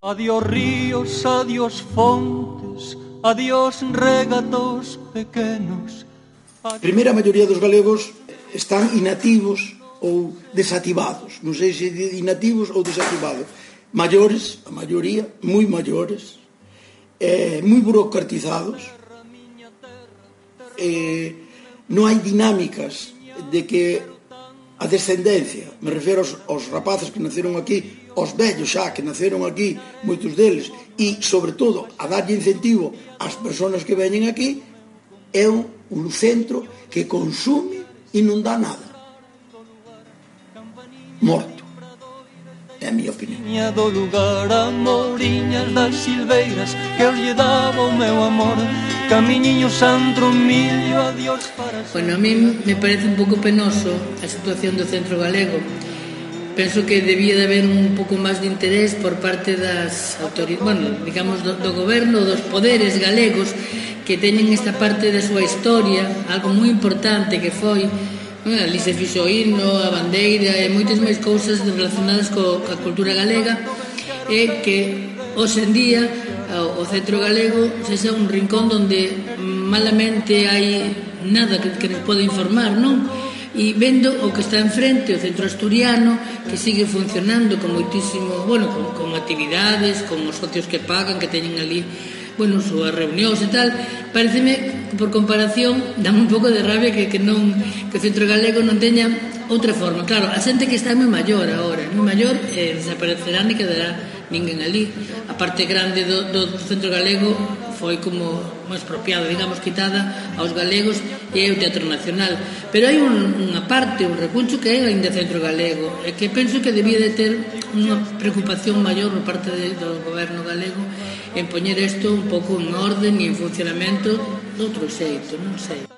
Adiós ríos, adiós fontes, adiós regatos pequenos. Primeiro, a maioría dos galegos están inactivos ou desactivados. Non sei se inactivos ou desactivados. Maiores, a maioría, moi maiores, moi burocratizados. Non hai dinámicas de que a descendencia, me refiro aos rapaces que naceron aquí, aos vellos xa que naceron aquí, moitos deles, e, sobre todo, a darlle incentivo ás persoas que veñen aquí, é un centro que consume e non dá nada. Morto. É a miña opinión. Do lugar a moriñas das silveiras que os lle daba o meu amor. Camiñiño Sandro Millo, adiós para sempre. Bueno, a mí me parece un pouco penoso a situación do centro galego. Penso que debía de haber un pouco máis de interés por parte das autoridades, bueno, digamos, do goberno, dos poderes galegos que teñen esta parte da súa historia, algo moi importante que foi, ali se fixo o himno, a bandeira e moitas máis cousas relacionadas coa cultura galega, e que hoxe en día o centro galego sexa un rincón onde malamente hai nada que nos pode informar, non? E vendo o que está enfrente, o centro asturiano, que sigue funcionando con moitísimo, bueno, con actividades, con os socios que pagan, que teñen ali, bueno, súas reunións e tal, pareceme, por comparación, dame un pouco de rabia que o centro galego non teña outra forma. Claro, a xente que está moi maior agora, moi maior, desaparecerá, ni quedará ninguén ali. A parte grande do centro galego foi como expropiada, digamos, quitada aos galegos, e é o Teatro Nacional. Pero hai unha parte, un recuncho que é ainda centro galego, e que penso que debía de ter unha preocupación maior por parte do goberno galego en poñer isto un pouco en orden e en funcionamento de outro xeito, non sei.